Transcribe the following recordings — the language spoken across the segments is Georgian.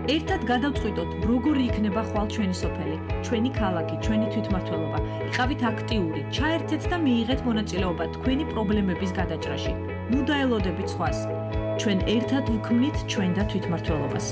ერთად გადავწყვიტოთ, როგორი იქნება ხვალ ჩვენი სოფელი, ჩვენი ქალაქი, ჩვენი თვითმმართველობა. იყავით აქტიური, ჩაერთეთ და მიიღეთ მონაწილეობა თქვენი პრობლემების გადაჭრაში. ნუ დაელოდებით სხვას. ჩვენ ერთად ვქმნით ჩვენ და თვითმმართველობას.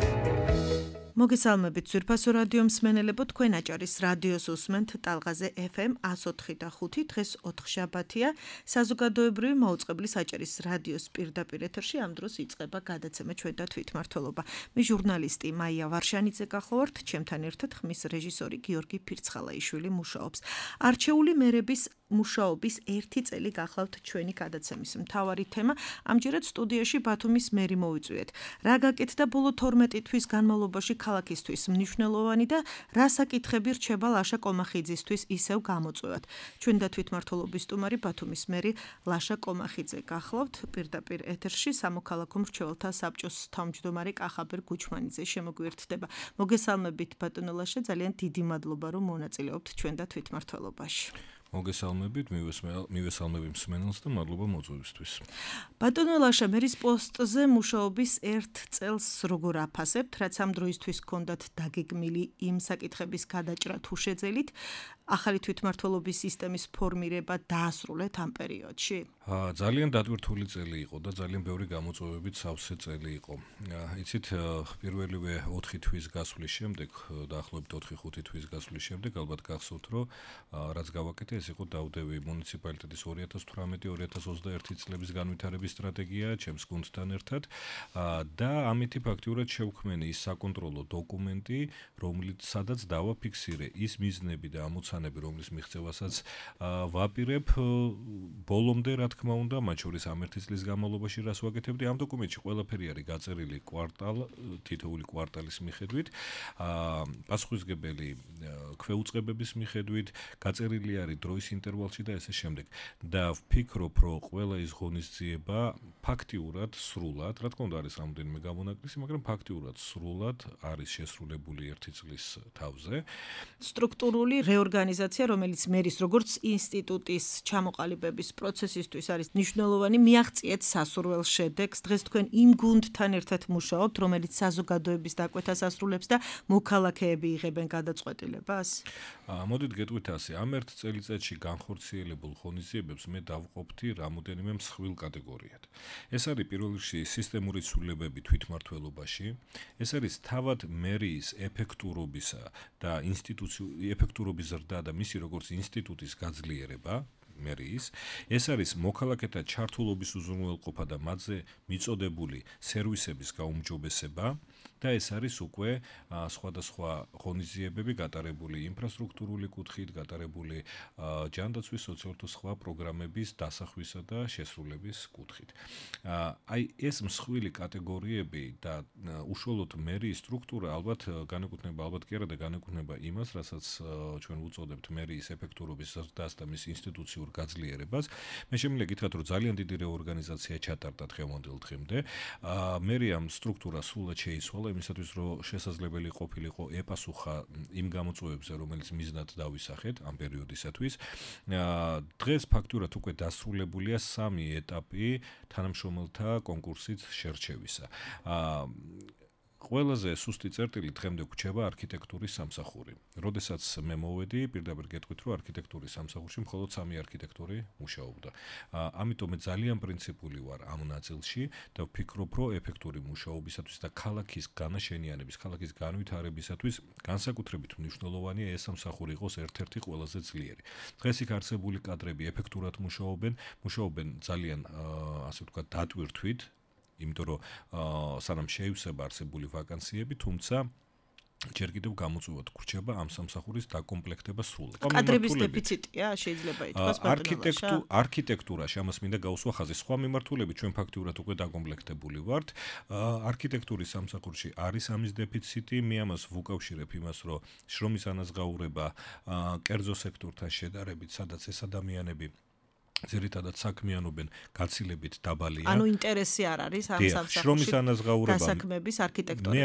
მოგესალმებით ძვირფასო რადიო მსმენელებო, თქვენ აჭარის რადიოს უსმენთ ტალღაზე FM 104 და 5. დღეს 4 შაბათია, საზოგადოებრივი მაუწყებლის აჭარის რადიოს პირდაპირ ეთერში ამ დროს იწყება გადაცემა ჩვენ და თვითმმართველობა. მე ჟურნალისტი მაია ვარშანიძე გახლავართ, ჩემთან ერთად ხმის რეჟისორი გიორგი ფირცხალაიშვილი მუშაობს. არჩეული მერების მუშაობის 1 წელი გახლავთ ჩვენი გადაცემის მთავარი თემა. ამჯერად სტუდიაში ბათუმის მერი მოვიწვიეთ. რა გაკეთდა ბოლო 12 თვის განმავლობაში ქალაქისთვის მნიშვნელოვანი და რა საკითხები რჩება ლაშა კომახიძისთვის ისევ გამოწვევად. ჩვენ და თვითმმართველობის სტუმარი ბათუმის მერი ლაშა კომახიძე გახლავთ პირდაპირ ეთერში. სამოქალაქო მრჩეველთა საბჭოს თავმჯდომარე კახაბერ გუჩმანიძე შემოგვიერთდება. მოგესალმებით ბატონო ლაშა, ძალიან დიდი მადლობა რომ მონაწილეობთ ჩვენ და თვითმმართველობაში. მოგესალმებით, მივესალმები მსმენელს და მადლობა მოწვევისთვის. ბატონო ლაშა, მერის პოსტზე მუშაობის 1 წელს როგორ აფასებთ, რაც ამ დროისთვის გქონდათ დაგეგმილი იმ საკითხების გადაჭრა თუ შეძელით, ახალი თვითმმართველობის სისტემის ფორმირება დაასრულეთ ამ პერიოდში? ძალიან დატვირთული წელი იყო და ძალიან ბევრი გამოწვევებით სავსე წელი იყო. იცით, პირველივე 4 თვის გასვლის შემდეგ, დაახლოებით 4-5 თვის გასვლის შემდეგ, ალბათ გახსოვთ, რომ რაც გავაკეთე, ეს იყო დავდევი მუნიციპალიტეტის 2018-2021 წლების განვითარების სტრატეგია ჩემს გუნდთან ერთად და ამითი ფაქტიურად შევქმენი ის საკონტროლო დოკუმენტი, სადაც დავაფიქსირე ის მიზნები და ამოცანები, რომლის მიღწევასაც ვაპირებ ბოლომდე, რა თქმა უნდა, მათ შორის ამ 1 წლის განმავლობაში რას ვაკეთებდი. ამ დოკუმენტში ყველაფერი არის გაწერილი თითოეული კვარტალის მიხედვით, პასუხისმგებელი ქვეუწყებების მიხედვით, გაწერილი არის დროის ინტერვალში და ესე შემდეგ. და ვფიქრობ, რომ ყველა ის ღონისძიება ფაქტიურად სრულად, რა თქმა უნდა არის რამოდენიმე გამონაკლისი, მაგრამ ფაქტიურად სრულად არის შესრულებული 1 წლის თავზე. სტრუქტურული რეორგანიზაცია, რომელიც მერის როგორც ინსტიტუტის ჩამოყალიბების პროცესისთვის არის მნიშვნელოვანი, მიაღწიეთ სასურველ შედეგს. დღეს თქვენ იმ გუნდთან ერთად მუშაობთ, რომელიც საზოგადოების დაკვეთას ასრულებს და მოქალაქეები იღებენ გადაწყვეტილებას? მოდით გეტყვით ასე, ამ 1 წელიწადში განხორციელებულ ღონისძიებებს მე დავყოფთი რამოდენიმე მსხვილ კატეგორიად. ეს არის პირველ რიგში სისტემური ცვლილებები თვითმმართველობაში, ეს არის თავად მერიის ეფექტურობისა და ეფექტურობის ზრდა და მისი როგორც ინსტიტუტის გაძლიერება, მერიის, ეს არის მოქალაქეთა ჩართულობის უზრუნველყოფა და მათზე მიწოდებული სერვისების გაუმჯობესება და ეს არის უკვე სხვადასხვა ღონისძიებები გატარებული ინფრასტრუქტურული კუთხით, გატარებული ჯანდაცვის სოციალურ თუ სხვა პროგრამების დასახვისა და შესრულების კუთხით. აი ეს მსხვილი კატეგორიები და უშუალოდ მერიის სტრუქტურა ალბათ კი არა და განეკუთვნება იმას, რასაც ჩვენ ვუწოდებთ მერიის ეფექტურობის ზრდას და მის ინსტიტუციურ გაძლიერებას. მე შემიძლია გითხრათ, რომ ძალიან დიდი რეორგანიზაცია ჩატარდა დღევანდელ დღემდე. მერიამ სტრუქტურა სრულად შეიცვალა იმისათვის, რომ შესაძლებელი ყოფილიყო ეპასუხა იმ გამოწვევებზე, რომელიც მიზნად დავისახეთ ამ პერიოდისათვის. დღეს ფაქტურად უკვე დასრულებულია 3 ეტაპი თანამშრომელთა კონკურსით შერჩევისა. ყველაზე სუსტი წერტილი დღემდე გვჩება არქიტექტურის სამსახური. როდესაც მე მოვედი, პირდაპირ გეტყვით, რომ არქიტექტურის სამსახურში მხოლოდ 3 არქიტექტორი მუშაობდა. ამიტომ მე ძალიან პრინციპული ვარ ამ ნაწილში და ვფიქრობ, რომ ეფექტური მუშაობისათვის და ქალაქის განაშენიანების, ქალაქის განვითარებისათვის განსაკუთრებით მნიშვნელოვანია ეს სამსახური იყოს ერთ-ერთი ყველაზე ძლიერი. დღეს იქ არსებული კადრები ეფექტურად მუშაობენ ძალიან ასე ვთქვათ დატვირთვით, იმიტომ რომ სანამ შეივსება არსებული ვაკანსიები, თუმცა ჯერ კიდევ გამოწვევად გრჩება ამ სამსახურის დაკომპლექტება სრულად. კადრების დეფიციტია, შეიძლება ითქვას ბატონო. არქიტექტურაში ამას მინდა გავუსვა ხაზი. სხვა მიმართულებით ჩვენ ფაქტიურად უკვე დაკომპლექტებული ვართ. არქიტექტურის სამსახურში არის ამის დეფიციტი, მე ამას ვუკავშირებ იმას, რომ შრომის ანაზღაურება კერძო სექტორთან შედარებით, სადაც ეს ადამიანები ზირითადად საქმიანობენ გაცილებით დაბალია. ანუ ინტერესი არ არის ამ შრომის ანაზღაურება დასაქმების არქიტექტორების.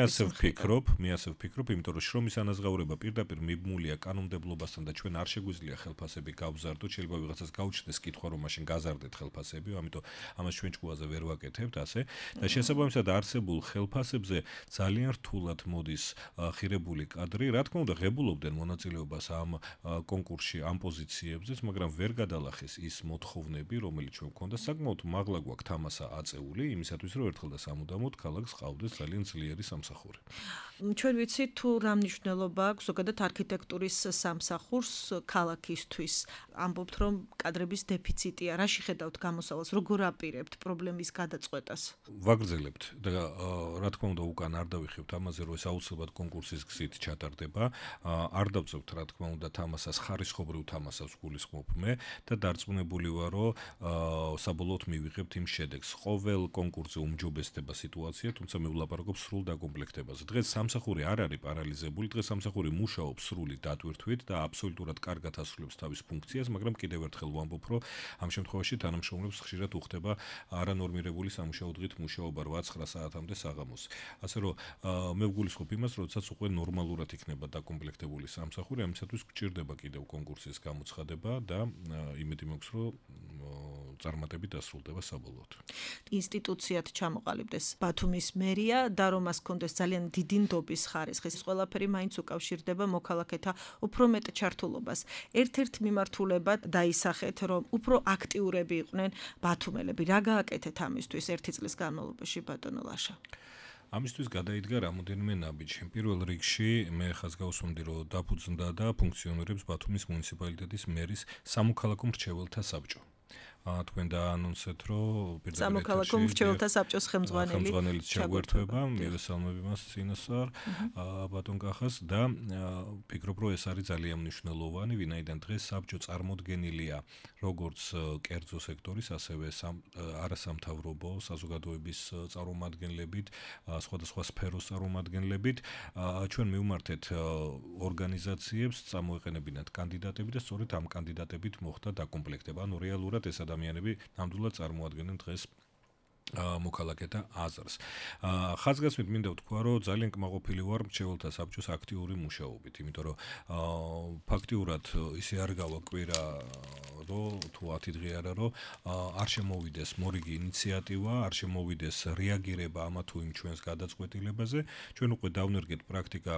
მე ასე ვფიქრობ, იმიტომ რომ შრომის ანაზღაურება პირდაპირ მიბმულია კანონმდებლობასთან და ჩვენ არ შეგვიძლია ხელფასები გავზარდოთ, შეიძლება ვიღაცას გაუჩნდეს კითხვა რომ მაშინ გაზარდეთ ხელფასები, ამიტომ ამას ჩვენ ჭკუაზე ვერ ვაკეთებთ ასე და შესაბამისად არსებულ ხელფასებზე ძალიან რთულად მოდის ხირებული კადრი, რა თქმა უნდა ღებულობდნენ მონაწილეობას ამ კონკურსში ამ პოზიციებზეც, მაგრამ ვერ გადალახეს ის მოთხოვნები, რომელიც ჩვენ გვქონდა, საკმაოდ მაღლა გვაქვს თამასა აწეული იმისათვის, რომ ერთხელ და სამუდამოდ ქალაქს ყავდეს ძალიან ძლიერი სამსახური. ჩვენ ვიცით თუ რა მნიშვნელობა აქვს ზოგადად არქიტექტურის სამსახურს ქალაქისთვის. ამბობთ რომ კადრების დეფიციტია, რა შეხედავთ გამოსავალს, როგორ აპირებთ პრობლემის გადაწყვეტას? ვაგრძელებთ და რა თქმა უნდა უკან არ დავიხებთ ამაზე, რომ ეს აუცილებლად კონკურსის გზით ჩატარდება. არ დავწევთ რა თქმა უნდა თამასას, ხარისხობრივ თამასას გულისხმობ მე და დარწმუნებული ვარ, რომ საბოლოოდ მივიღებთ იმ შედეგს. ყოველ კონკურსზე უმჯობესდება სიტუაცია, თუმცა მე ვლაპარაკობ სრულ დაკომპლექტებაზე. დღეს სამსახური არ არის პარალიზებული, დღეს სამსახური მუშაობს სრული დატვირთვით და აბსოლუტურად კარგად ასრულებს თავის ფუნქციას, მაგრამ კიდევ ერთხელ ვამბობ, რომ ამ შემთხვევაში თანამშრომლებს ხშირად უხდება არანორმირებული სამუშაო დღით მუშაობა 8-9 საათამდე საღამოს. ასე რომ მე ვგულისხმობ იმას, როდესაც უკვე ნორმალურად იქნება დაკომპლექტებული სამსახური, ამისათვის გჭირდება კიდევ კონკურსის გამოცხადება და იმედი მაქვს, რომ წარმატებით დასრულდება საბოლოოდ. ინსტიტუციად ჩამოყალიბდეს ბათუმის მერია და რომ მას კონდეს ძალიან დიდი ნდობის ხარისხი. ეს ყველაფერი მაინც უკავშირდება მოქალაქეთა უფრო მეტ ჩართულობას. ერთ-ერთ მიმართულებად დაისახეთ, რომ უფრო აქტიურები იყვნენ ბათუმელები. რა გააკეთეთ ამისთვის ერთი წლის განმავლობაში ბატონო ლაშა? ამისთვის გადაიდგა რამოდენიმე ნაბიჯი. პირველ რიგში მე ხაზს გავუსვამდი, რომ დაფუძნდა და ფუნქციონირებს ბათუმის მუნიციპალიტეტის მერის სამოქალაქო მრჩეველთა საბჭო. თქვენ დაანონსეთ, რომ სამოქალაქო მრჩეველთა საბჭოს ხელმძღვანელიც ჩაგვერთვება, მივესალმები მას წინასწარ ბატონ კახას და ფიქრობ, რომ ეს არის ძალიან მნიშვნელოვანი, ვინაიდან დღეს საბჭო წარმოდგენილია როგორც კერძო სექტორის, ასევე არასამთავრობო საზოგადოების წარმომადგენლებით, სხვადასხვა სფეროს წარმომადგენლებით. ჩვენ მივმართეთ ორგანიზაციებს, წამოეყენებინათ კანდიდატები და სწორედ ამ კანდიდატებით მოხდა დაკომპლექტება. ანუ რეალურად ეს ადამიანები ნამდვილად წარმოადგენენ დღეს მოქალაქეთა აზრს. ხაზგასმით მინდა ვთქვა, რომ ძალიან კმაყოფილი ვარ მრჩეველთა საბჭოს აქტიური მუშაობით, იმიტომ რომ ფაქტიურად ისე არ გავა კვირა, რომ თუ 10 დღე არა, რომ არ შემოვიდეს მორიგი ინიციატივა, არ შემოვიდეს რეაგირება ამა თუ იმ ჩვენს გადაწყვეტილებაზე. ჩვენ უკვე დავნერგეთ პრაქტიკა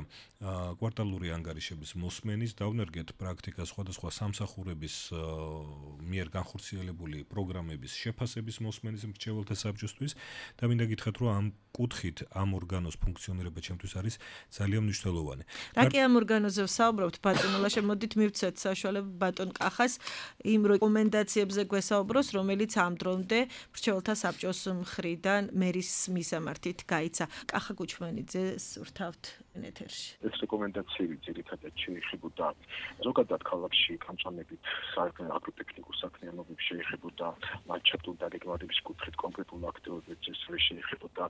კვარტალური ანგარიშების მოსმენის, დავნერგეთ პრაქტიკა სხვადასხვა სამსახურების მიერ განხორციელებული პროგრამების შეფასების მოსმენის მრჩეველთა საბჭოსთვის და მინდა გითხრათ, რომ ამ კუთხით ამ ორგანოს ფუნქციონირება ჩემთვის არის ძალიან მნიშვნელოვანი. რა კი ამ ორგანოზე ვსაუბრობთ, ბატონო ლაშა, მოდით მივცეთ საშუალება ბატონ კახას იმ რეკომენდაციებზე გვესაუბროს, რომელიც ამ დრომდე მრჩეველთა საბჭოს მხრიდან მერის მისამართით გაიცა. კახა გუჩმენიძეს ვრთავთ ეთერში. ეს რეკომენდაციები ძირითადად შეეხებოდა ზოგადად ქალაქში გამწვანებით აგროტექნიკურ საქმიანობებს, შეეხებოდა ლანდშაფტურ დაგეგმარების კუთხით კონკრეტულ აქტივობებს, შეეხებოდა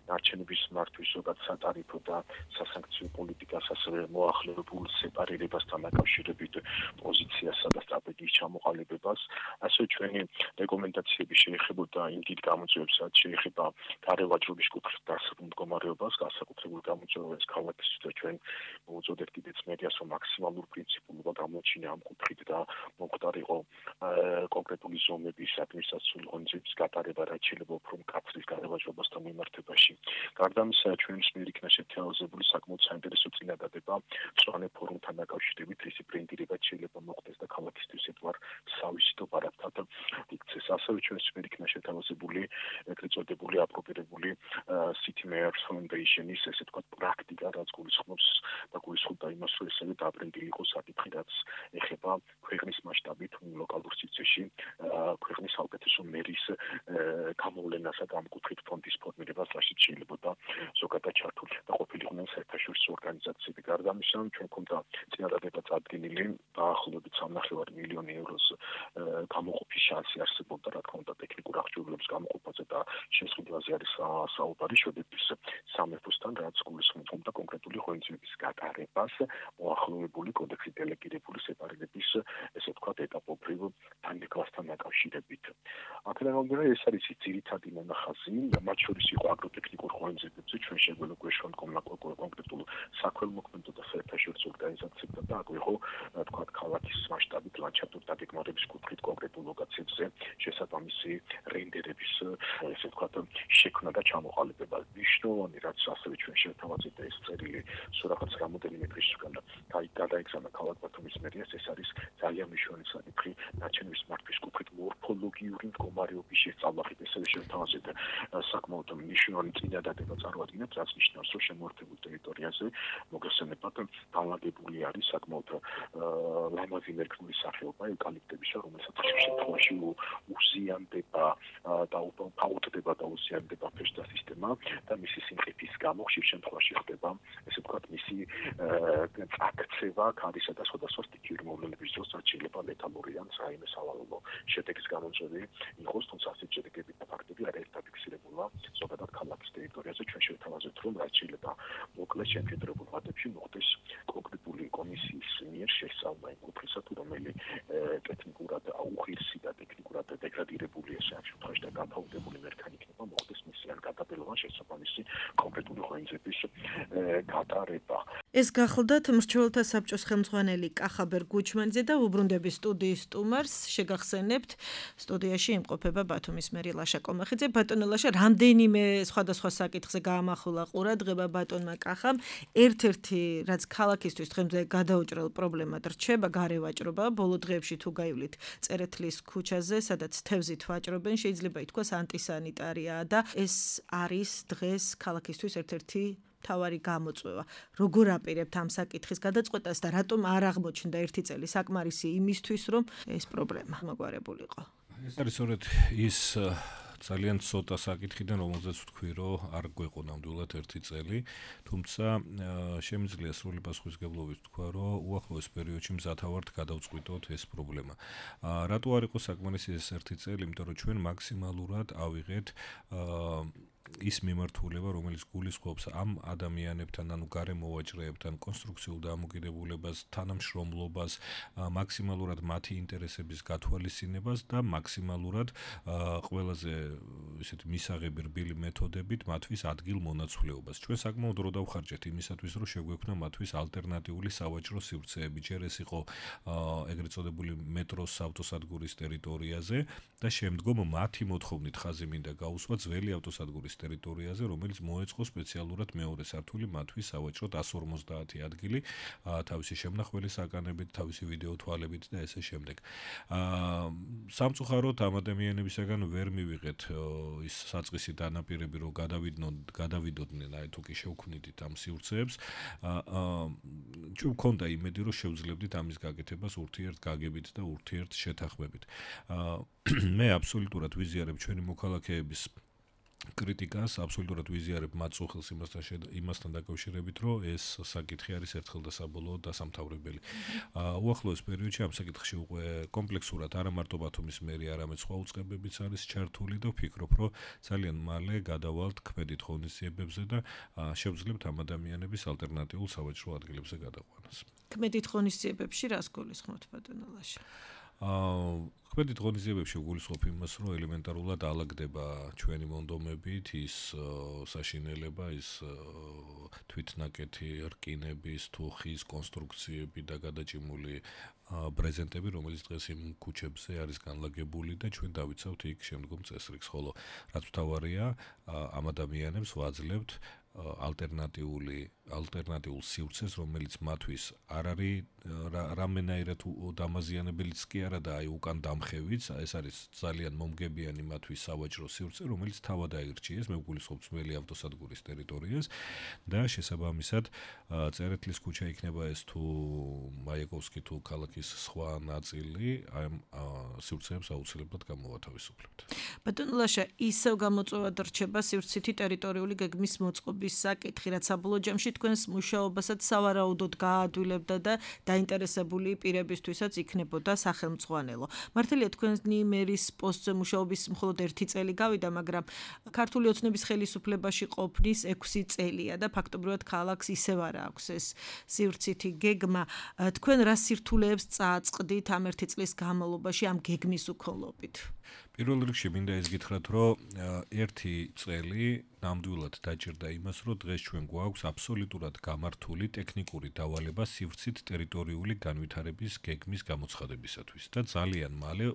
ნარჩენების მართვის ზოგად სატარიფო და სასანქციო პოლიტიკას, ასევე მოახლებულ სეპარირებასთან დაკავშირებით პოზიციასა და სტრატეგიის ჩამოყალიბებას. ასევე ჩვენი რეკომენდაციები შეეხებოდა იმ დიდ გამოწვევებსაც, შეეხება გარევაჭრობის კუთხით დასაბუნ მდგომარეობას, განსაკუთრებულ გამოწვევებს ქალაქისთვის და ჩვენ მოუწოდეთ კიდეც მედიას, რომ მაქსიმალურ პრინციპულობა გამოჩინა ამ კუთხით და მომხდარიყო კონკრეტული ზომების ადმინისტრაციული ღონისძიების გატარება, რაც შეიძლება უფრო მკაცრის გარევაჭრობასთან მიმართებაში. გარდა ამისა, ჩვენს მიერ იქნა შეთანხმებული საკმაოდ საინტერესო წინადადება მწვანე ფორუმთან დაკავშირებით, რისი ბრენდირება შეიძლება მოხდეს და ქალაქისთვის ერთგვარ სავიზიტო პარაფთან იქცეს. ასევე ჩვენს მიერ იქნა შეთანხმებული ეგრეთ წოდებული აპრობირებული City Mayor's Foundation-ის ესე ვთქვათ პრაქტიკა, რაც გულისხმობს და გულისხმობდა იმას, რომ ესევე დაბრენდილი იყოს საკითხი, რაც ეხება ქვეყნის მასშტაბით ლოკალურ სივრცეში ქვეყნის საუკეთესო მერის გამოვლენასა და ამ კუთხით ფონდის ფორმირებას, რაშიც შეიძლებოდა ზოგადად ჩართული და ყოფილიყვნენ საერთაშორისო ორგანიზაციები ორგანიზაციები. გარდა ამისა, ჩვენ გვქონდა წინადადება წარდგენილი დაახლოებით 3.5 მილიონი ევროს გამოყოფის შანსი არსებობდა, რა თქმა უნდა, ტექნიკურ აღჭურვილობის გამოყოფაზე და შესყიდვაზე არის საუბარი შვედეთის სამეფოსთან, რაც გულისხმობდა კონკრეტული ღონისძიების გატარებას მოახლოებული კოდექსით დელეგირებული სეპარირების, ესე ვთქვათ, ეტაპობრივ თანმეკლასთან დაკავშირებით. აქედან გამომდინარე, ეს არის ძირითადი მონახაზი, მათ შორის იყო აგროტექნიკურ ღონისძიებებზე ჩვენ შეგვეძლო გვეშვა კონკრეტულ საქველმოქმედო და საერთაშორისო ორგანიზაციებთან და აქვე იყო, თქვათ, ქალაქის მასშტაბით ლანდშაფტური დაგეგმარების კუთხით კონკრეტულ ლოკაციებზე შესაბამისი რენდერების, ესე ვთქვათ, შექმნა და ჩამოყალიბება. მნიშვნელოვანი, რაც ასევე ჩვენ შევთავაზეთ ეს წერილი სურაღაც რამოდენიმე დღის უკან გადაეგზავნა ქალაქ ბათუმის მერიას, ეს არის ძალიან მნიშვნელოვანი საკითხი ნაჩვენების მართვის კუთხით მორფოლოგიური მდგომარეობის შესწავლახით, ესევე შევთავაზეთ საკმაოდ მნიშვნელოვანი წინადადება წარმოადგენთ, რაც ნიშნავს, რომ შემოერთებულ ტერიტორიაზე მოგესალმებათ განლაგებული არის საკმაოდ ლამაზი მერქნული სახეობა ევკალიპტებისა, რომელსაც ხშირ შემთხვევაში უზიანდება და უპაუტდება და უზიანდება ფეშთა სისტემა და მისი სიმყიფის გამო ხშირ შემთხვევაში ხდება, ესე ვთქვათ, მისი წაქცევა ქარისა და სხვადასხვა სტიქიური მოვლენების დროს, რაც შეიძლება ლეთალური ან რაიმე სავალალო შედეგის გამომწვევი იყოს, თუმცა ასეთი შედეგები და ფაქტები არაერთ დაფიქსირებულა ზოგადად ქალაქის ტერიტორიაზე. ჩვენ შევთავაზეთ, რომ რაც შეიძლება მოკლეს შემხედრებულ ვადებში მოხდეს კონკრეტული კომისიის მიერ შესწავლა იმ კუთხისა, თუ რომელი ტექნიკურად უღირსი და ტექნიკურად დეგრადირებული ესე ამ შემთხვევაში და გაფაუდებული მერქანი იქნება, მოხდეს მისი ან გადაბელოვან შესაბამისი კონკრეტული ღონისძიების გატარება. ეს გახლდათ მრჩეველთა საბჭოს ხელმძღვანელი კახაბერ გუჩმანიძე და უბრუნდების სტუდიის სტუმარს შეგახსენებთ სტუდიაში იმყოფება ბათუმის მერი ლაშა კომახიძე. ბატონო ლაშა, რამდენიმე სხვადასხვა საკითხზე გაამახვილა ყურადღება ბატონმა კახამ. ერთ-ერთი, რაც ქალაქისთვის დღემდე გადაუჭრელ პრობლემად რჩება, გარევაჭრობა. ბოლო დღეებში თუ გაივლით წერეთლის ქუჩაზე, სადაც თევზით ვაჭრობენ, შეიძლება ითქვას ანტისანიტარიაა და ეს არის დღეს ქალაქისთვის ერთ-ერთი თავარი გამოწვევა. როგორ აპირებთ ამ საკითხის გადაწყვეტას და რატომ არ აღმოჩნდა ერთი წელი საკმარისი იმისთვის, რომ ეს პრობლემა მოგვარებულიყო? ეს არის სწორედ ის ძალიან ცოტა საკითხიდან, რომელზეც ვთქვი, რომ არ გვეყო ნამდვილად ერთი წელი, თუმცა შემიძლია სრული პასუხისმგებლობით ვთქვა, რომ უახლოეს პერიოდში მზათავართ გადავწყვიტოთ ეს პრობლემა. რატო არ იყო საკმარისი ეს ერთი წელი? იმიტომ რომ ჩვენ მაქსიმალურად ავიღეთ ის მიმართულება, რომელიც გულისხმობს ამ ადამიანებთან, ანუ გარემოვაჭრეებთან, კონსტრუქციულ დამოკიდებულებას, თანამშრომლობას, მაქსიმალურად მათი ინტერესების გათვალისწინებას და მაქსიმალურად ყველაზე ისეთი მისაღები რბილი მეთოდებით მათთვის ადგილმონაცვლეობას. ჩვენ საკმაოდ დრო დავხარჯეთ იმისათვის, რომ შეგვექმნა მათთვის ალტერნატიული სავაჭრო სივრცეები. ჯერ ეს იყო ეგრეთ წოდებული მეტროს ავტოსადგურის ტერიტორიაზე და შემდგომ მათი მოთხოვნით ხაზი მინდა გაუსვა ძველი ავტოსადგურის ტერიტორიაზე, რომელიც მოეწყო სპეციალურად მეორე სართული მათთვის სავაჭროდ 150 ადგილი, თავისი შემნახველი საკანებით, თავისი ვიდეო თვალებით და ესე შემდეგ. სამწუხაროდ ამ ადამიანებისაგან ვერ მივიღეთ ის საწყისი დანაპირები, რომ გადავიდოდნენ, აი თუ კი შევქმნიდით ამ სივრცეებს. ჩვენ გვქონდა იმედი, რომ შევძლებდით ამის გაკეთებას ურთიერთგაგებით და ურთიერთ შეთანხმებით. მე აბსოლუტურად ვიზიარებ ჩვენი მოქალაქეების კრიტიკას, აბსოლუტურად ვიზიარებ მათ წუხილს იმასთან დაკავშირებით, რომ ეს საკითხი არის ერთხელ და საბოლოოდ დასამთავრებელი. უახლოეს პერიოდში ამ საკითხში უკვე კომპლექსურად არა მარტო ბათუმის მერი, არამედ სხვა უწყებებიც არის ჩართული და ვფიქრობ, რომ ძალიან მალე გადავალთ ქმედით ღონისძიებებზე და შევძლებთ ამ ადამიანების ალტერნატიულ სავაჭრო ადგილებზე გადაყვანას. ქმედით ღონისძიებებში რას გულისხმობთ, ბატონო ლაშა? ქმედით ღონისძიებებში გულისხმობ იმას, რომ ელემენტარულად ალაგდება ჩვენი მონდომებით ის საშინელება, ის თვითნაკეთი რკინების, თუხის კონსტრუქციები და გადაჭიმული ბრეზენტები, რომელიც დღეს იმ ქუჩებზე არის განლაგებული და ჩვენ დავიცავთ იქ შემდგომ წესრიგს, ხოლო რაც მთავარია, ამ ადამიანებს ვაძლევთ ალტერნატიულ სივრცეს, რომელიც მათთვის არ არის რამენაირად დამაზიანებელიც კი არა და აი უკან დამხევიც, ეს არის ძალიან მომგებიანი მათთვის სავაჭრო სივრცე, რომელიც თავად აირჩიეს, მე ვგულისხმობ ძველი ავტოსადგურის ტერიტორიას და შესაბამისად წერეთლის ქუჩა იქნება ეს თუ მაიაკოვსკი თუ ქალაქის სხვა ნაწილი, აი სივრცეებს აუცილებლად გამოვათავისუფლებთ. ბატონო ლაშა, ისევ გამოწვევად რჩება სივრცითი ტერიტორიული გეგმის მოწყობა მუშაობის საკითხი, რაც საბოლოო ჯამში თქვენს მუშაობასაც სავარაუდოდ გააადვილებდა და დაინტერესებული პირებისთვისაც იქნებოდა სახელმწიფო. მართალია თქვენი მერის პოსტზე მუშაობის მხოლოდ 1 წელი გავიდა, მაგრამ ქართული ოცნების ხელისუფლებაში ყოფნის 6 წელია და ფაქტობრივად ქალაქს ისევ არ აქვს ეს სივრცითი გეგმა. თქვენ რა სირთულეებს წააწყდით ამ 1 წლის განმავლობაში ამ გეგმის უქონლობით? პირველ რიგში მინდა ეს გითხრათ, რომ 1 წელი ნამდვილად დაჭირდა იმას, რომ დღეს ჩვენ გვაქვს აბსოლუტურად გამართული ტექნიკური დავალება სივრცით ტერიტორიული განვითარების გეგმის გამოცხადებისათვის და ძალიან მალე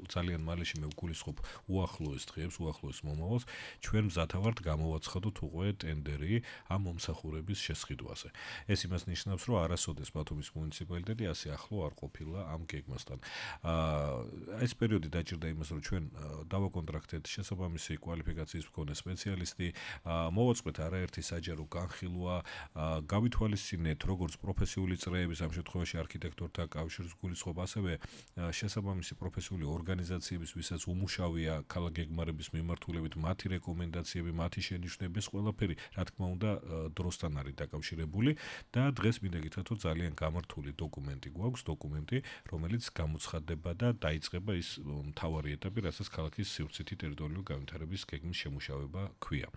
მე ვგულისხმობ უახლოეს დღეებს, უახლოეს მომავალს, ჩვენ მზათა ვართ გამოვაცხადოთ უკვე ტენდერი ამ მომსახურების შესყიდვაზე. ეს იმას ნიშნავს, რომ არასოდეს ბათუმის მუნიციპალიტეტი ასე ახლო არ ყოფილა ამ გეგმასთან. ეს პერიოდი დაჭირდა იმას, რომ ჩვენ დავაკონტრაქტეთ შესაბამისი კვალიფიკაციის მქონე სპეციალისტი, მოვაწყეთ არაერთი საჯარო განხილვა, გავითვალისწინეთ როგორც პროფესიული წრეების, ამ შემთხვევაში არქიტექტორთა კავშირის გულისხმობ, ასევე შესაბამისი პროფესიული ორგანიზაციების, ვისაც უმუშავია ქალაქ გეგმარების მიმართულებით, მათი რეკომენდაციები, მათი შენიშვნები, ეს ყველაფერი, რა თქმა უნდა, დროსთან არის დაკავშირებული და დღეს მინდა გითხრათ, რომ ძალიან გამართული დოკუმენტი გვაქვს, რომელიც გამოცხადდება და დაიწყება ის მთავარი ეტაპი, რასაც ქალაქის სივრცითი ტერიტორიული განვითარების გეგმის შემუშავება ჰქვია.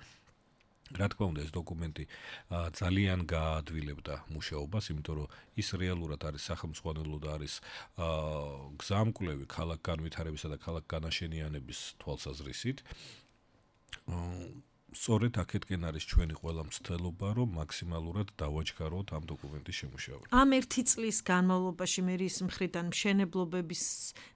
რა თქმა უნდა, ეს დოკუმენტი ძალიან გააადვილებდა მუშაობას, იმიტომ რომ ის რეალურად არის სახელმწიფო და არის გზამკვლევი ქალაქ განვითარებისა და ქალაქ განაშენიანების თვალსაზრისით. სწორედ აქეთკენ არის ჩვენი ყველა მცდელობა, რომ მაქსიმალურად დავაჩქაროთ ამ დოკუმენტის შემუშავება. ამ 1 წლის განმავლობაში მერის მხრიდან მშენებლობების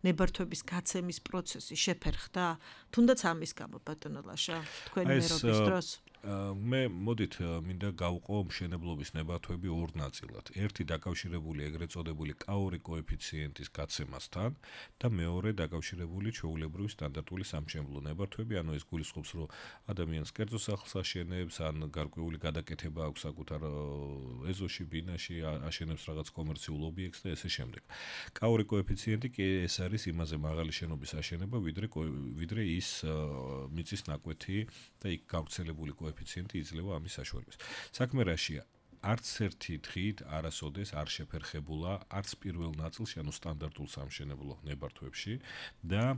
ნებართვების გაცემის პროცესი შეფერხდა, თუნდაც ამის გამო ბატონო ლაშა, თქვენი მერობის დროს? მე მოდით მინდა გავყო მშენებლობის ნებართვები 2 ნაწილად. ერთი დაკავშირებული ეგრეთ წოდებული კაური კოეფიციენტის გაცემასთან და მეორე დაკავშირებული ჩვეულებრივი სტანდარტული სამშენებლო ნებართვები, ანუ ეს გულისხმობს, რომ ადამიანს კერძო სახლს აშენებს, ან გარკვეული გადაკეთება აქვს საკუთარ ეზოში, ბინაში, აშენებს რაღაც კომერციულ ობიექტს და ესე შემდეგ. კაური კოეფიციენტი კი ეს არის იმაზე მაღალი შენობის აშენება, ვიდრე ის მიწის ნაკვეთი და იქ გავრცელებული კოეფიციენტი იძლევა ამის საშუალებას. საქმე რაშია? არც ერთი დღით არასოდეს არ შეფერხებულა არც პირველ ნაწილში, ანუ სტანდარტულ სამშენებლო ნებართვებში და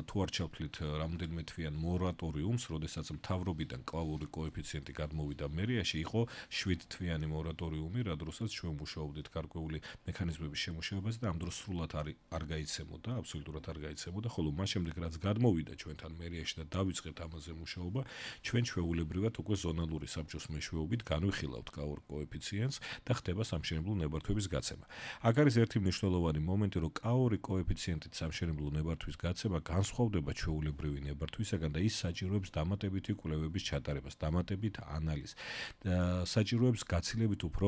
თუ არ ჩავთვლით რამდენიმე თვიან მორატორიუმს, როდესაც მთავრობიდან კაური კოეფიციენტი გადმოვიდა მერიაში, იყო 7 თვიანი მორატორიუმი, რა დროსაც ჩვენ მუშაობდით გარკვეული მექანიზმების შემუშავებაზე და ამ დროს სრულად არ გაიცემოდა, აბსოლუტურად არ გაიცემოდა, ხოლო მას შემდეგ რაც გადმოვიდა ჩვენთან მერიაში და დავიწყეთ ამაზე მუშაობა, ჩვენ ჩვეულებრივად უკვე ზონალური საბჭოს მეშვეობით განვიხილავთ კაურ კოეფიციენტს და ხდება სამშენებლო ნებართვების გაცემა. აქ არის ერთი მნიშვნელოვანი მომენტი, რომ კაური კოეფიციენტით სამშენებლო ნებართვის გაცემა განსხვავდება ჩვეულებრივი ნებართვისაგან და ის საჭიროებს დამატებითი კვლევების ჩატარებას, დამატებით ანალიზს და საჭიროებს გაცილებით უფრო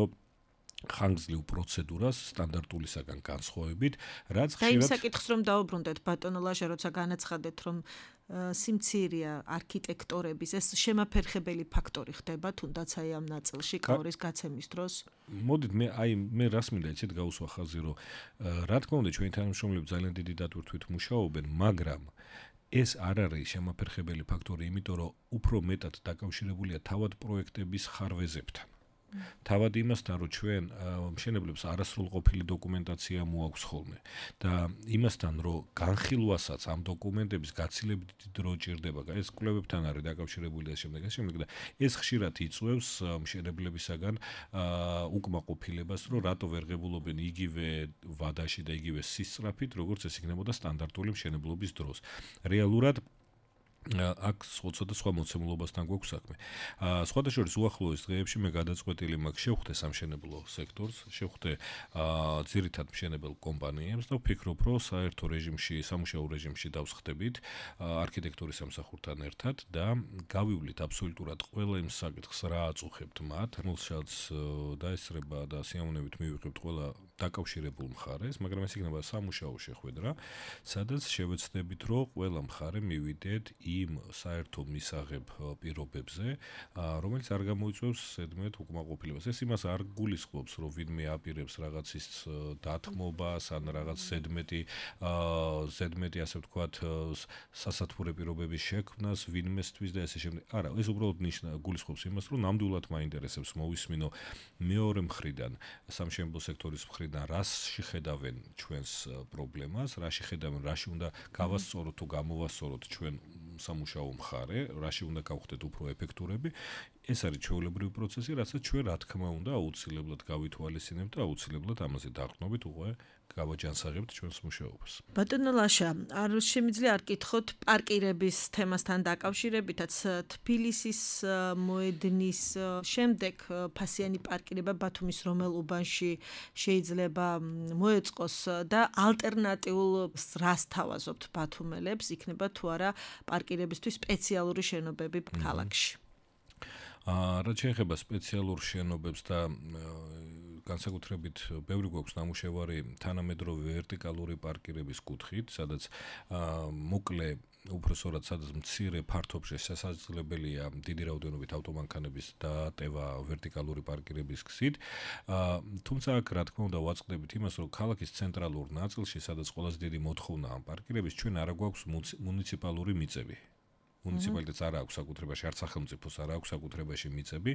ხანგრძლივ პროცედურას სტანდარტულისაგან განსხვავებით, რაც ხშირად და იმ საკითხს რომ დაუბრუნდეთ ბატონო ლაშა, როცა განაცხადეთ, რომ სიმცირეა არქიტექტორების ეს შემაფერხებელი ფაქტორი ხდება თუნდაც აი ამ ნაწილში კაურის გაცემის დროს. მოდით მე რას მინდა იცით გაუსვა ხაზი, რომ რა თქმა უნდა ჩვენი თანამშრომლები ძალიან დიდი დატვირთვით მუშაობენ, მაგრამ ეს არ არის შემაფერხებელი ფაქტორი, იმიტომ რომ უფრო მეტად დაკავშირებულია თავად პროექტების ხარვეზებთან. თავად იმასთან, რომ ჩვენ მშენებლებს არასრულყოფილი დოკუმენტაცია მოაქვს ხოლმე და იმასთან, რომ განხილვასაც ამ დოკუმენტების გაცილებით დიდი დრო ჭირდება, ეს კვლევებთან არის დაკავშირებული და შემდეგ და ეს ხშირად იწვევს მშენებლებისაგან უკმაყოფილებას, რომ რატო ვერ ღებულობენ იგივე ვადაში და იგივე სისწრაფით, როგორც ეს იქნებოდა სტანდარტული მშენებლობის დროს. რეალურად აქ სხვადასხვა მოცემულობასთან გვაქვს საქმე. სხვადასხვა შორის უახლოეს დღეებში მე გადაწყვეტილი მაქვს შევხვდე სამშენებლო სექტორს, შევხვდე ძირითად მშენებელ კომპანიებს და ვფიქრობ, რომ საერთო რეჟიმში, სამუშაო რეჟიმში დავსხდებით არქიტექტურის სამსახურთან ერთად და გავივლით აბსოლუტურად ყველა იმ საკითხს, რა აწუხებთ მათ, რომელსაც დაესწრება და სიამოვნებით მივიღებთ ყველა დაკავშირებულ მხარეს, მაგრამ ეს იქნება სამუშაო შეხვედრა, სადაც შევეცდებით, რომ ყველა მხარე მივიდეთ იმ საერთო მისაღებ პირობებზე, რომელიც არ გამოიწვევს ზედმეტ უკმაყოფილებას. ეს იმას არ გულისხმობს, რომ ვინმე აპირებს რაღაცის დათმობას ან რაღაც ზედმეტი ასე ვთქვათ, სასათბურე პირობების შექმნას ვინმესთვის და ესე შემდეგ. არა, ეს უბრალოდ გულისხმობს იმას, რომ ნამდვილად მაინტერესებს მოვისმინო მეორე მხრიდან, სამშენებლო სექტორის მხრიდან, რაში ხედავენ ჩვენს პრობლემას, რაში ხედავენ, რაში უნდა გავასწოროთ თუ გამოვასწოროთ ჩვენ სამუშაო მხარე, რაში უნდა გავხდეთ უფრო ეფექტურები. ეს არის ჩვეულებრივი პროცესი, რასაც ჩვენ რა თქმა უნდა აუცილებლად გავითვალისწინებთ და აუცილებლად ამაზე დაყრდნობით უკვე გავაჯანსაღებთ ჩვენს მუშაობას. ბატონო ლაშა, არ შემიძლია არ გითხოთ პარკირების თემასთან დაკავშირებითაც თბილისის მოედნის შემდეგ ფასიანი პარკირება ბათუმის რომელ უბანში შეიძლება მოეწყოს და ალტერნატიულ რას თავაზობთ ბათუმელებს, იქნება თუ არა პარკირებისთვის სპეციალური შენობები ქალაქში. რაც შეეხება სპეციალურ შენობებს და განსაკუთრებით ბევრი გვაქვს ნამუშევარი თანამედროვე ვერტიკალური პარკირების კუთხით, სადაც მოკლე უბრალოდ სადაც მცირე ფართობში შესაძლებელია დიდი რაოდენობით ავტომანქანების დატევა ვერტიკალური პარკირების გზით. თუმცა აქ რა თქმა უნდა ვაწყდებით იმას, რომ ქალაქის ცენტრალურ ნაწილში, სადაც ყველაზე დიდი მოთხოვნაა პარკირების, ჩვენ არ გვაქვს მუნიციპალური მიწები. მუნიციპალიტეტს არ აქვს საკუთრებაში, არც სახელმწიფოს არ აქვს საკუთრებაში მიწები,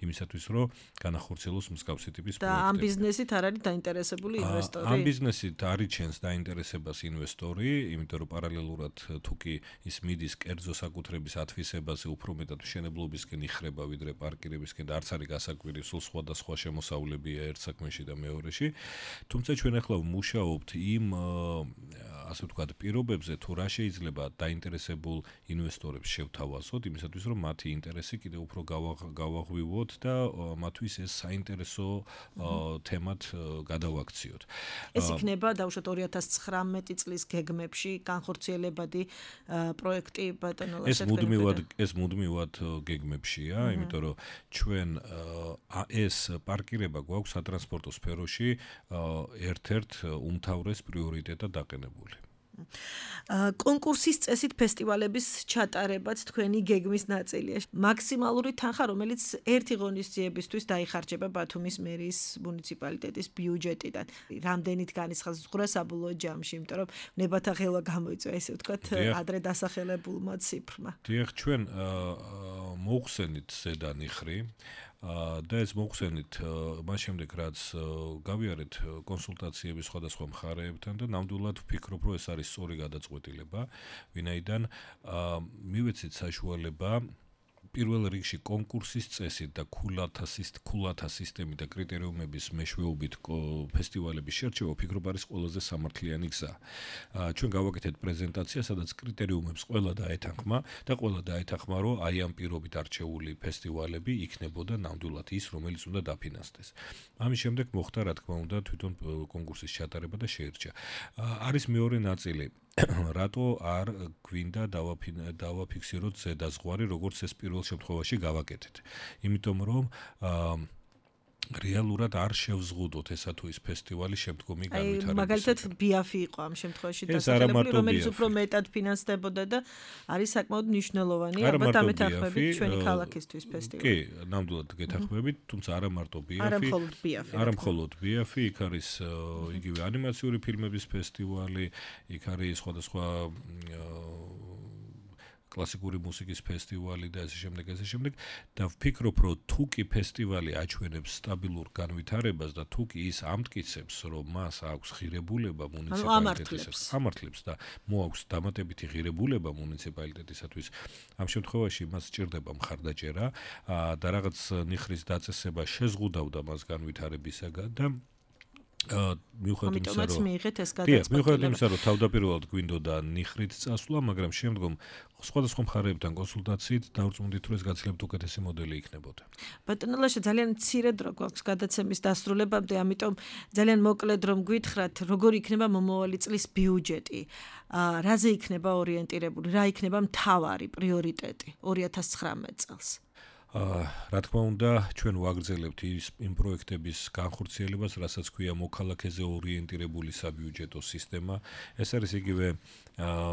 იმისათვის რომ განახორციელოს მსგავსი ტიპის პროექტები. და ამ ბიზნესით არ არის დაინტერესებული ინვესტორი? ამ ბიზნესით არიჩენს დაინტერესებას ინვესტორი, იმიტომ რომ პარალელურად თუ კი ის მიდის კერძო საკუთრების ათვისებაზე, უფრო მეტად მშენებლობისკენ იხრება, ვიდრე პარკირებისკენ და არც არის გასაკვირი, სულ სხვადასხვა შემოსავლებია ერთ საქმეში და მეორეში. თუმცა ჩვენ ახლა ვმუშაობთ იმ ასე ვთქვათ, პირობებზე, თუ რა შეიძლება დაინტერესებულ ინვესტორებს შევთავაზოთ, იმისათვის რომ მათი ინტერესი კიდევ უფრო გავაღვივოთ და მათთვის ეს საინტერესო თემად გადავაქციოთ. ეს იქნება დაუშვათ 2019 წლის გეგმებში განხორციელებადი პროექტი ბატონო ლაშა. ეს მუდმივად გეგმებშია, იმიტომ რომ ჩვენ ეს პარკირება გვაქვს სატრანსპორტო სფეროში ერთ-ერთ უმთავრეს პრიორიტეტად დაყენებული. კონკურსის წესით ფესტივალების ჩატარებაც თქვენი გეგმის ნაწილია. მაქსიმალური თანხა, რომელიც ერთი ღონისძიებისთვის დაიხარჯება ბათუმის მერიის მუნიციპალიტეტის ბიუჯეტიდან. რამდენით განისხაზღვრა საბოლოო ჯამში, იმიტომ რომ ნებათა ხელვა გამოიწვია, ესე ვთქვათ, ადრე დასახელებულმა ციფრმა. დიახ, ჩვენ მოვხსენით ზედანიხრი და ეს მოვხსენით მას შემდეგ, რაც გავიარეთ კონსულტაციები სხვადასხვა მხარეებთან და ნამდვილად ვფიქრობ, რომ ეს არის სწორი გადაწყვეტილება, ვინაიდან მივეცით საშუალება პირველ რიგში კონკურსის წესით და ქულათა სისტემით და კრიტერიუმების მეშვეობით ფესტივალების შერჩევა ვფიქრობ არის ყველაზე სამართლიანი გზა. ჩვენ გავაკეთეთ პრეზენტაცია, სადაც კრიტერიუმებს ყველა დაეთანხმა და ყველა დაეთანხმა, რომ აი ამ პირობით არჩეული ფესტივალები იქნებოდა ნამდვილად ის, რომელიც უნდა დაფინანსდეს. ამის შემდეგ მოხდა, რა თქმა უნდა, თვითონ კონკურსის ჩატარება და შეერჩა. არის მეორე ნაწილი. რატო არ გვინდა დავაფიქსიროთ ზედაზღვარი, როგორც ეს პირველ შემთხვევაში გავაკეთეთ. იმიტომ რომ რეალურად არ შევზღუდოთ ესა თუ ის ფესტივალი შემდგომი განვითარებისათვის. მაგალითად ბიაფი იყო ამ შემთხვევაში დასახელებული, რომელიც უფრო მეტად ფინანსდებოდა და არის საკმაოდ მნიშვნელოვანი, ალბათ ამეთანხმებით ჩვენი ქალაქისთვის ფესტივალი. კი, ნამდვილად გეთანხმებით, თუმცა არა მარტო ბიაფი, არა მხოლოდ ბიაფი, იქ არის იგივე ანიმაციური ფილმების ფესტივალი, იქ არის სხვადასხვა კლასიკური მუსიკის ფესტივალი და ესე შემდეგ და ვფიქრობ, რომ თუ კი ფესტივალი აჩვენებს სტაბილურ განვითარებას და თუ კი ის ამტკიცებს, რომ მას აქვს ღირებულება მუნიციპალიტეტისათვის, ამართლებს და მოაქვს დამატებითი ღირებულება მუნიციპალიტეტისათვის, ამ შემთხვევაში მას სჭირდება მხარდაჭერა და რაღაც ნიხრის დაწესება შეზღუდავდა მას განვითარებისაგან და მიუხედავად იმისა, რომ თავდაპირველად გვინდოდა ნიხრით წასვლა, მაგრამ შემდგომ სხვადასხვა მხარეებთან კონსულტაციით დავწმუნდით, რომ ეს გაცილებით უკეთესი მოდელი იქნებოდა. ბატონო ლაშა, ძალიან მცირე დრო გვაქვს გადაცემის დასრულებამდე, ამიტომ ძალიან მოკლედ რომ გითხრათ, როგორ იქნება მომავალი წლის ბიუჯეტი, რაზე იქნება ორიენტირებული, რა იქნება მთავარი პრიორიტეტი 2019 წელს. რა თქმა უნდა, ჩვენ ვაგრძელებთ იმ პროექტების განხორციელებას, რასაც ქვია მოქალაქეზე ორიენტირებული საბიუჯეტო სისტემა. ეს არის იგივე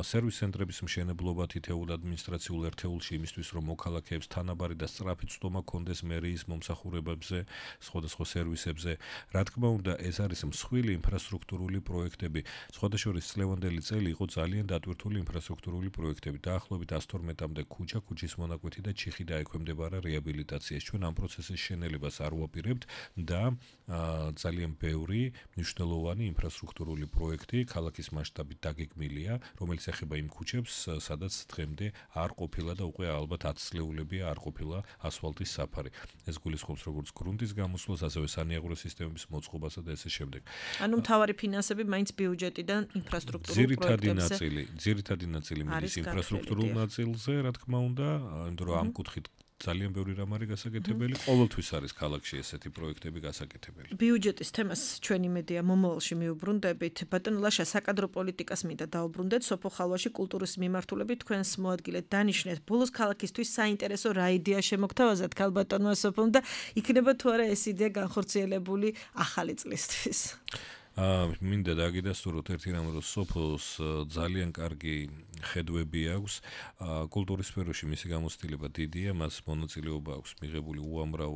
სერვის ცენტრების მშენებლობა თითოეულ ადმინისტრაციულ ერთეულში იმისთვის, რომ მოქალაქეებს თანაბარი და სწრაფი ცდომა კონდეს მერიის მომსახურებებზე, სხვადასხვა სერვისებზე. რა თქმა უნდა, ეს არის მსხვილი ინფრასტრუქტურული პროექტები. სხვადასხვა წლევანდელი წელი იყო ძალიან დატვირთული ინფრასტრუქტურული პროექტები. დაახლოებით 112-მდე ქუჩა, ქუჩის მონაკვეთი და ჩიხი დაექვემდებარა რეაბილიტაციას. ჩვენ ამ პროცესის შენელებას არ ვაპირებთ და ძალიან ბევრი მნიშვნელოვანი ინფრასტრუქტურული პროექტი ქალაქის მასშტაბით დაგეგმილია, რომელიც ეხება იმ ქუჩებს, სადაც დღემდე არ ყოფილა და უკვე ალბათ 10 წლეულებია არ ყოფილა ასფალტის საფარი. ეს გულისხმობს როგორც გრუნტის გამოსვლას, ასევე санიაღურო სისტემების მოწყობასა და ესე შემდეგ. ანუ მთავარი ფინანსები მაინც ბიუჯეტიდან ინფრასტრუქტურულ პროექტებზე. ძირითადი ნაწილი მიდის ინფრასტრუქტურულ ნაწილზე, რა თქმა უნდა, იმიტომ რომ ამ კუთხით ძალიან ბევრი რამ არის გასაკეთებელი, ყოველთვის არის ქალაქში ესეთი პროექტები გასაკეთებელი. ბიუჯეტის თემას ჩვენ იმედია მომავალში მივუბრუნდებით. ბატონო ლაშა, საკადრო პოლიტიკას მინდა დავუბრუნდეთ. სოფო ხალვაში კულტურის მიმართულებით თქვენს მოადგილედ დანიშნეთ. ბოლოს ქალაქისთვის საინტერესო რა იდეა შემოგთავაზათ ქალბატონმა სოფომ და იქნება თუ არა ეს იდეა განხორციელებული ახალი წლისთვის? მინდა დაგიდასტუროთ ერთი რამ, რომ სოფოს ძალიან კარგი ხედვები აქვს კულტურის სფეროში, მისი გამოცდილება დიდია, მას მონაწილეობა აქვს მიღებული უამრავ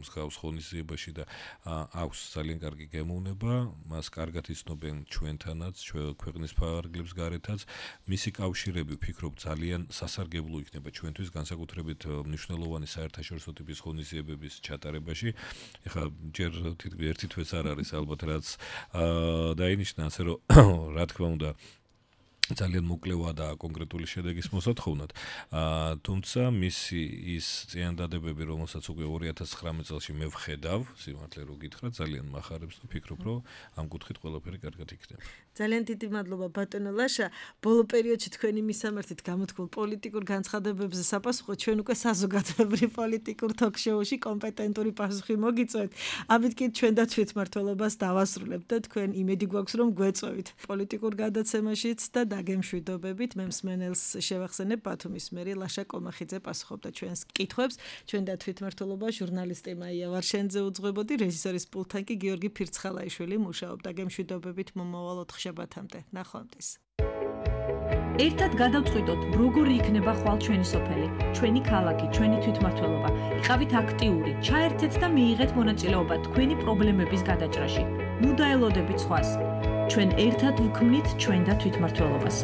მსგავს ღონისძიებაში და აქვს ძალიან კარგი გემოვნება, მას კარგად იცნობენ ჩვენთანაც, ქვეყნის ფარგლებს გარეთაც. მისი კავშირები ვფიქრობ ძალიან სასარგებლო იქნება ჩვენთვის, განსაკუთრებით მნიშვნელოვანი საერთაშორისო ტიპის ღონისძიებების ჩატარებაში. ეხლა ჯერ ერთი თვეც არ არის ალბათ რაც დაინიშნა ასე რომ რა თქმა უნდა ძალიან მოკლევა და კონკრეტული შედეგის მოსათხოვნად. თუმცა მისი ის წინადადებები, რომელსაც უკვე 2019 წელს მე ვხედავ, სიმართლე რო გითხრა, ძალიან მახარებს და ფიქრობ, რომ ამ კუთხით ყველაფერი კარგად იქნება. ძალიან დიდი მადლობა ბატონო ლაშა. ბოლო პერიოდში თქვენი მისამართით გამოთქმულ პოლიტიკურ განცხადებებზე საპასუხოდ ჩვენ უკვე საზოგადოებრივ პოლიტიკურ ток-შოუში კომპეტენტური პასუხი მოგიწევთ. ამით კი ჩვენ და თვითმმართველობას დავასრულებთ და თქვენ იმედი გვაქვს რომ გვეწევით პოლიტიკურ გადაცემაშიც და დაგემშვიდობებით. მე მსმენელს შევახსენებ ბათუმის მერი ლაშა კომახიძე პასუხობდა ჩვენს კითხვებს. ჩვენ და თვითმმართველობა ჟურნალისტი მაია ვარშენძე უძღვებოდი, რეჟისორის პულტთან კი გიორგი ფირცხალაიშვილი მუშაობდა. გემშვიდობებით მომავალ 4 შაბათამდე. ნახვამდის. ერთად გადავწყვიტოთ, როგორი იქნება ხვალ ჩვენი სოფელი, ჩვენი ქალაქი, ჩვენი თვითმმართველობა. იყავით აქტიური, ჩაერთეთ და მიიღეთ მონაწილეობა თქვენი პრობლემების გადაჭრაში. ნუ დაელოდებით სხვას. ჩვენ ერთად ვქმნით ჩვენ და თვითმმართველობას.